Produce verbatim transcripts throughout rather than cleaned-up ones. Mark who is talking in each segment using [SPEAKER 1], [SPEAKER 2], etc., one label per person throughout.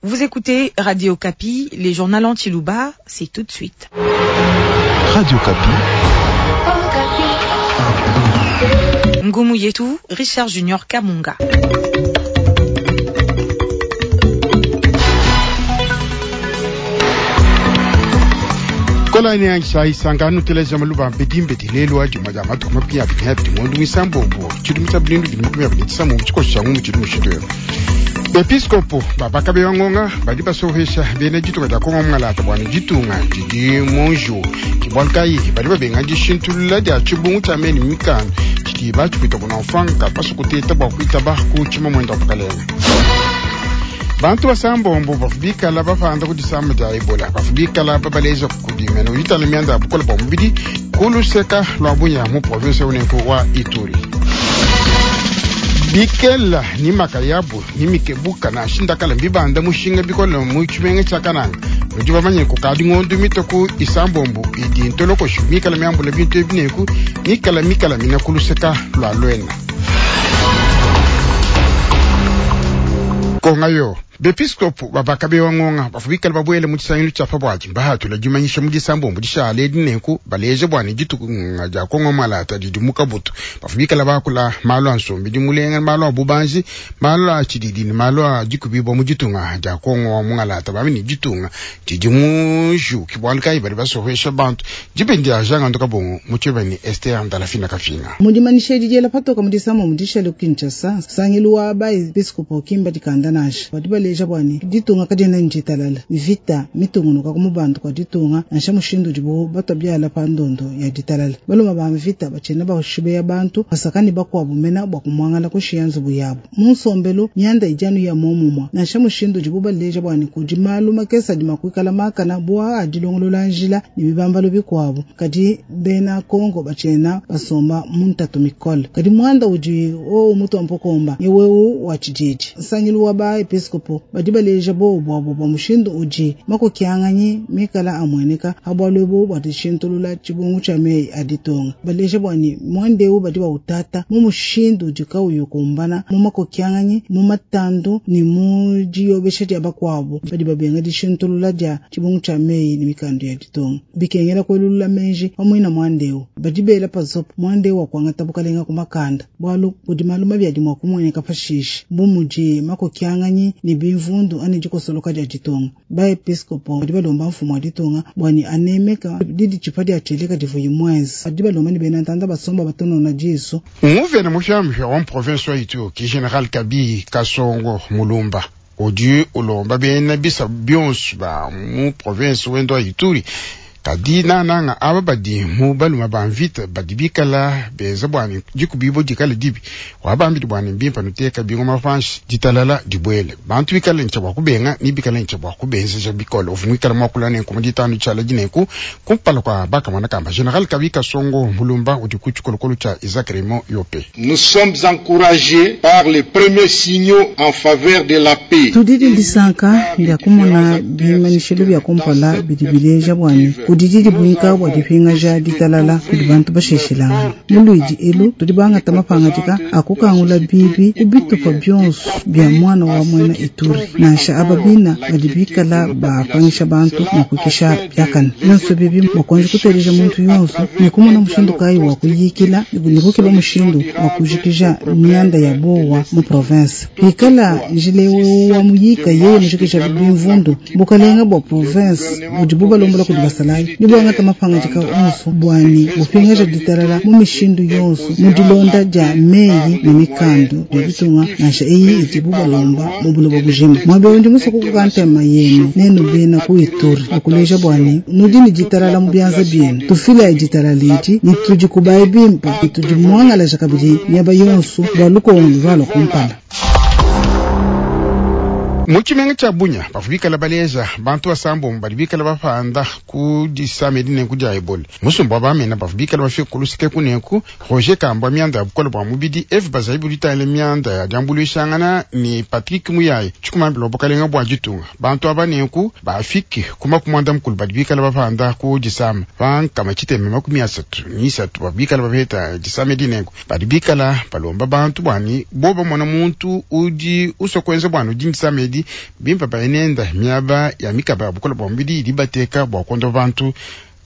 [SPEAKER 1] Vous écoutez Radio Okapi, les journaux en tshiluba, c'est tout de suite.
[SPEAKER 2] Radio Okapi.
[SPEAKER 1] Ngumu Yetu, Richard Junior Kamunga.
[SPEAKER 3] Kola ni angisha isangano teleja maluba mbedi mbedi lelo adi maja matuku makumi abiri na abiri ngondo mwisambombo tshidimu tshia bilindu bidi makumi abiri tshisamu tshikoso tshia ngumu tshidi mushindu Episkopo babakabe bangonga badi basohesha bena ditunga dia Kongo mungalata bua ne ditunga didi munju ke bualu kayi badi babenga dishintulula dia tshibungu tshia meni mikanda tshidi batshipita kuna mfanga pasukuteta bua kuitaba ku tshima mwenda wa bukalenga. Bantu basambombo bafu bikala bapanda ku disama dia ebola bafu bikala babaleja kudimena uitala mianda ya bukola bua mubidi kuluseka lwa bunya mu province unenku wa Ituri. Bikela ni makayabu ni mikebuka na shindakala mbibanda mushinga bikola mu tshimenga tshia Kananga nudi bamanye kukadi ngondo mitoku isambombo idi ntolokoshu mikala miambula bintu ebineku mikala mikala mina kuluseka lwa lwena. Konga yo bepiskopu babakabe wangonga bafu bikala babwele mu tshisangilu tshia pabwadi mbahatula dimanyisha mu disambombo dishala edi nenku baleje bua ne ditunga dia Kongo malata didi mu kabutu bafu bikala bakula malu a nsombi dimulenga malu a bubanji malu a tshididi ne malu a dikubibua mu ditunga dia Kongo wa mungalata bami ne ditunga didi mu ju ke bualu kayi badi basohesha bantu dibendi dia Jean Ngandu Kabongo mu tshieba ne Esther Ndalafina Kafinga.
[SPEAKER 4] Mu dimanyisha edi diela patoka mu disambombo dishala ku Kinshasa nsangilu wa ba episkopo kimba dikanda nansha badi baleja bua ne ditunga kadiena njitalala vita mitungunuka ku mubandu kwa ditunga nansha mushindu udibo batwa biala pa ndondo ya ditalala baluma ba mvita batshiena bashibeya bantu basaka ne bakuabu mena bua kumuangala kushiya nzubu yabo mu nsombelu mianda idi anu ya momumua nansha mushindu udibo baleja bua ne kudi malu makese adi makuikala makana bua adilongolola njila ne bibambalo bikuabu kadi bena Kongo batshiena basomba mu ntatu mikole kadi muanda udi owu mutu mpokomba yewewu wa tshididi nsangilu wa ba episkopo badi baleja bobu bwabo bwa mushindu udi makokianganyi mikala amueneka habwalu ebu bua dishintulula tshibungu tshia meyi a ditunga baleja bua ne muanda eu badi bautata mu mushindu udi kauyi ukumbana mu makokianganyi mu matandu ne mu diyobesha dia bakuabu badi babenga dishintulula dia tshibungu tshia meyi ne mikandu ya ditunga bikengela kuelulula menji pamwe na muanda eu badi bela pazopo muanda eu wa kuangata bukalenga ku makanda bualu kudi malu mabi adi mua kumueneka pashishe bu mudi makokianganyi ne bimvundu ane dikosoloka dia ditunga ba episkopo badi balomba mfumu wa ditunga bua ne anemeka didi tshipa dia tshieleka divuyi mwenza badi balomba ne bena ntanda basomba batonona disu.
[SPEAKER 3] Nguvena mufiamufia wa province wa Ituri ki General Kabi Kasongo Mulumba udi ulomba bena bisa bionso ba mu province wendo wa Ituri kadi nananga aba badi mu baluma ba mvita badi bikala benza bua ne dikubibo dikala dibi wabambidi bua ne mbimpa nuteka bingoma panshi ditalala dibuele bantu bikala ntshia bua kubenga ni bikala ntshia bua kubenzeja bikole uvu muikala muakula nenku mu ditanu tshiala dineku kumpala kua bakamona kamba General Kabi Kasongo Mulumba udi ku tshikolokolo tshia Isaac Raymond Yope.
[SPEAKER 5] Nous sommes encouragés par les premiers signaux en faveur de la paix.
[SPEAKER 4] Tudidi disanka ndia kumona bimanyishilo bia kumpala bidi bileja bua ne kudi dibwinka bua dipingaja ditalala kudi bantu basheshilangana mu luidi elu tudi bangata mapangadika akukangula bibi ku bitupa bionso bia mwana wa mwena Ituri nansha aba bina badi bikala bapangisha bantu mua kuikisha biakane bionso bibi bakonji kuteleja muntu yonso ne kumona mushindu kayi wa kuyikila ne kukeba mushindu wa kujikija mianda ya bowa mu province pikala njila ewu wa muyika yeye mujikija bimvundu bukalenga bua province budi bubalombola kudi basalayi ni bwangata mapangadika onso bwani bupingaja ditalala mu mishindu yonso mu dilonda dia meyi ne mikandu bia ditunga nansha eyi idi bubalomba mu buloba bujima mwabe ndi musoko kukantema yenu nenu bena ku Ituri okuleja bwani nudi ni ditalala mu bianza bienu tufila ditalala edi ni tudi kubayi bimpa ni tudi muangalaja kabidi miaba yonso bua lukongo lwalwa kumpala.
[SPEAKER 3] Mu tshimenga tshia Bunya bafu bikala baleja bantu basambombo badi bikala bapanda ku disama edi nenku dia ebola musumba wa bamena bafu bikala bafika kuluseke kuneku Roger Kambwa mianda ya bukole bua mubidi Eve Bazaibu ditangile mianda ya diambuluishangana ne Patrick Muyaye tshikumambila wa bukalenga bua ditunga bantu aba nenku bafike kuma kumwanda mukulu badi bikala bapanda ku disama bankama tshitema makumi asatu ni isatu bafu bikala bapeta disama edi nenku badi bikala balomba bantu bwani bo bamona muntu udi uswa kuenza bwani udi disama edi mubidi bimpe bayenenda miaba ya mikaba ya bukole bwa mubidi idi bateka bua kondopa bantu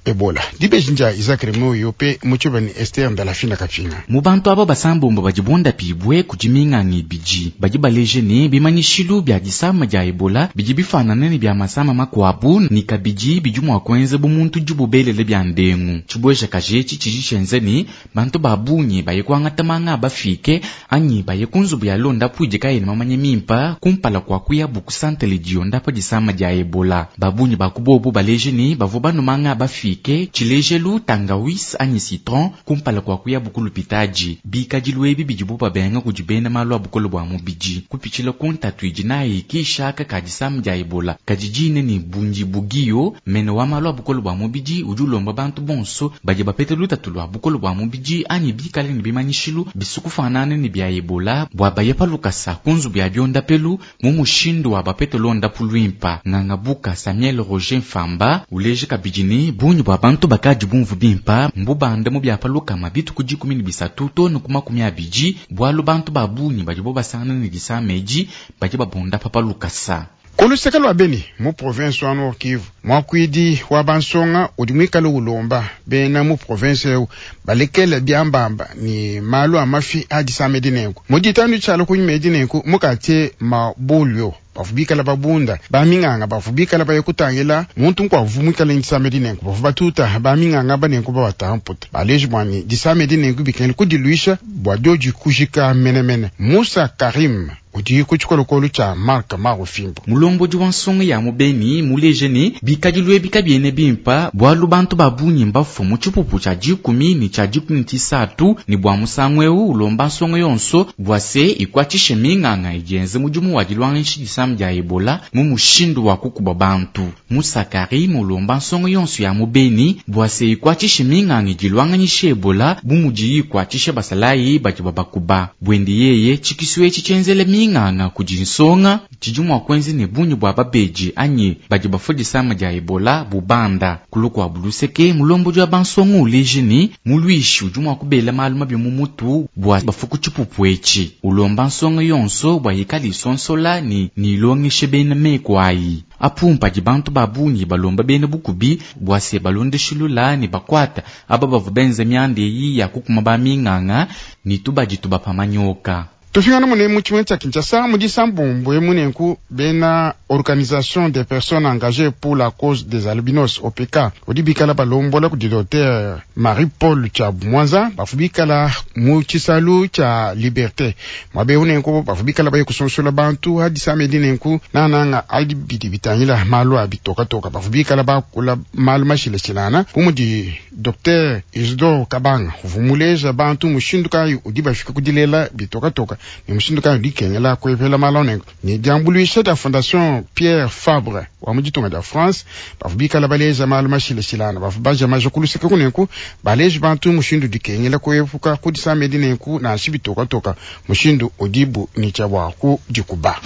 [SPEAKER 3] Ebola. Dibeji ndia Isaac Remoyo pe muchobani Esther Ndalafina Kapinga.
[SPEAKER 6] Mu bantu aba basambombo badi bondapibwe kudi minganga ibidi badi baleje ne bimanyishilu bia disama dia Ebola bidi bifanana ne bia masama makuabu ni kabidi bidi mua kuenza bu muntu dibubelele bia ndengu. Tshibweja kajetshi tshidi tshienza ne bantu ba bungi baye kuangata manga bafike anyi baye ku nzubu ya londapu idi kayena mamanya mimpa kumpala kua kuya buku santele diondapa disama dia Ebola. Ba bungi ba kubobu baleje ne bavua banu manga bafike tshilejelu tangawis anyi citron kumpala kua kuya bukulu pitaji bikadilu ebi bidibu babenga kudi bena malu a bukole bua mubidi kupitshila ku ntatu idi nayi kishaka ka disama dia Ebola kadi dine ni bundi bugiyo mene wa malu a bukole bua mubidi udi ulomba bantu bonso badi bapete lutatu lua bukole bua mubidi anyi bikale ne bimanyishilu bisukufanana ne bia Ebola bua baye palukasa ku nzubu ya biondapelu mu mushindu wa bapete londapu luimpa. Ngangabuka Samuel Roger Mfamba uleje kabidi ne bungi bua bantu bakadi bumvu bimpa mbubanda mu bia palukama bituku dikumi ne bisatu tonu ku makumi abidi bualu bantu ba bungi badi bo basangana ne disama edi badi babunda pa palukasa.
[SPEAKER 3] Kuluseka lwa Beni mu province wa Nord Kivu mwakwidi wa bansonga udi mwikale ulomba bena mu province eu balekele biambamba ni malu a mafi a disama edi nenku mu ditanu tshialo kunyuma edi nenku mukatie mabulio bavu bikala babunda baminganga bavu bikala baye kutangila muntu nkwavu mwikale disama edi nenku bavu batuta baminganga banenku babatamputa baleji bwani disama edi nenku bikengela kudiluisha bua dioji kujika menemene. Musa Karim udi ku tshikolokolo tshia Mark Marufimbo.
[SPEAKER 6] Mulombodi wa nsonga ya mubeni muleje ne bikadilu ebi kabiene bimpa bualu bantu ba bungi mbafua mu tshipupu tshia dikumi ne tshia dikumi ne tshisatu ne bua musangu eu ulomba nsonga yonso bua se ikuatshishe minganga idi yenze mudimu wa dilwangisha disama dia Ebola mu mushindu wa kukuba bantu. Musa Karim ulomba nsonga yonso ya mubeni bua se ikuatshishe minganga idi ilwanganyisha Ebola bu mudiyi ikuatshisha basalayi badi babakuba. Bwende yeye tshikisu etshi tshienzele minganga kudi nsonga tshidi mua kuenza ne bungi bua babeji anyi badi bafua disama dia Ebola bubanda. Kulu kua buluseke mulombodi wa bansonga uleje ne mulwishi udi mua kubela malu mabi mu mutu bua bafuku tshipupu etshi. Ulomba nsonga yonso bua yikale isonsola ne nilongeshe bena meku ayi. Apumpa di bantu ba bungi balomba bena bukubi bua se balondeshilula ne bakwata aba bavua benza mianda eyi ya kukuma ba minganga ne tubadi tubapamanyoka.
[SPEAKER 3] Tufingana mune mu tshimenga tshia Kinshasa mu disambombo emunenku bena organisation des personnes engagées pour la cause des albinos O P K udi bikala balombola kudi docteur Marie Paul Tshiabu Mwanza bafu bikala mu tshisalu tshia Liberté mwabe unenku bafu bikala baye kusonsola bantu hadisama edi nenku nananga adi bidi bitangila malu a bitokatoka bafu bikala bakula malu mashilashilana bu mudi docteur Isidore Kabanga uvumuleja bantu mushindu kayi udi bafika kudilela bitokatoka ni mushindu kayi dikengela kuepela malonengo ni diambuluisha dia fondation Pierre Fabre wa mu ditunga dia France bavu bikala baleja malu mashilashilana bavu baja maja kuluseka kunenku baleja bantu mushindu dikengela kuepuka kudisama edi nenku nansha bitokatoka mushindu udibu ni tshia bua kudikuba.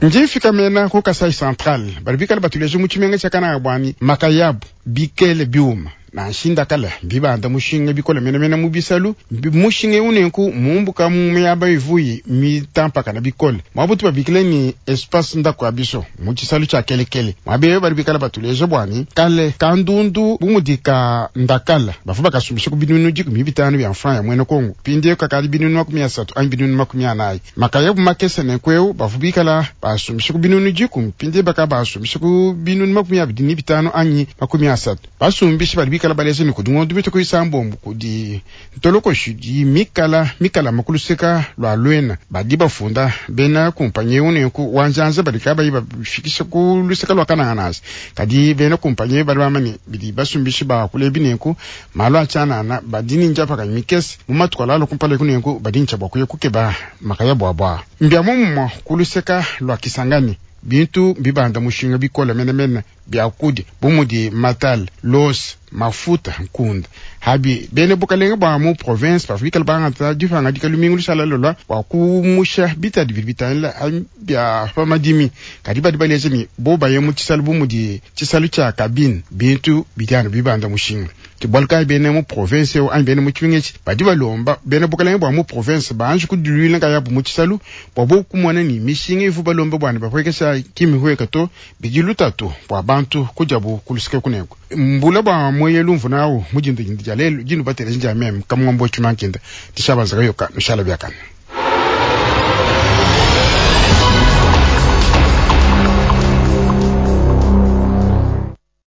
[SPEAKER 3] Njifika mena ku Kasai Central bali bikala batuleja mu tshimenga tshia Kananga bwani makayabu bikele biuma na nshinda kala bibanda mushinga bikola menemene mu bisalu mushinga unenku mumbuka mu miyaba ivuyi mitampaka na bikole mwabutu babikile ni espace ndako ya biso mu tshisalu tshia kelekele mwabe bali bikala batuleja bwani kale kandundu bumudika ndakala bafu bakasumbisha ku binunu dikumi bitanu bya franc ya mwene Kongo pindie kakali binunu makumi asatu anyi binunu makumi anayi makayabu makese nenkweu bafu bikala basumbisha ku binunu dikumi pindie baka basumbisha ku binunu makumi abidi ni bitanu anyi makumi asatu basumbisha bali bikala baleze ni kudi ngondo bito kuisambombo kudi ntoloko shidi mikala mikala makuluseka lwa lwena badi bafunda bena kumpanye unenku wanjanza bali kabayi bafikisha ku luseka lwa kananganasi kadi bena kumpanye bali bamani bidi basumbishi ba kulebi nenku malu achanana badi ninja paka mikese mu matuka lalo kumpale kunenku badi ncha bwa kuye kukeba makaya bwa bwa mbya mumwa kuluseka lwa Kisangani bintu bibanda mushinga bikola menemene Biakudi bumudi matal los mafuta nkunda habi bene bukalenge bwa mu province bavua bangata dipanga lumingu lushala lolwa bua kumusha bitadi bidi bitangila bia pa madimi. Kadi badi baleja ni bo baye mu tshisalu bu mudi tshisalu tshia kabine bintu bidi anu bibanda mushinga. Bualu kayi bene mu province eu anyi bene mu tshimenga etshi badi balomba bene bukalenge bua mu province banji kudiluila nkayabu mu tshisalu bua bo kumona ni mishinga ivu balomba bua ne bapuekesha kimihueka to bidi lutatu bua bantu kudiabu kulusika kuneko. Mbula bua mweyelu mvuna awu mujinda jinda dia lelu jinu bateleja nja meme kamwambo tshimankenda tishabanza kayoka nushala biakana.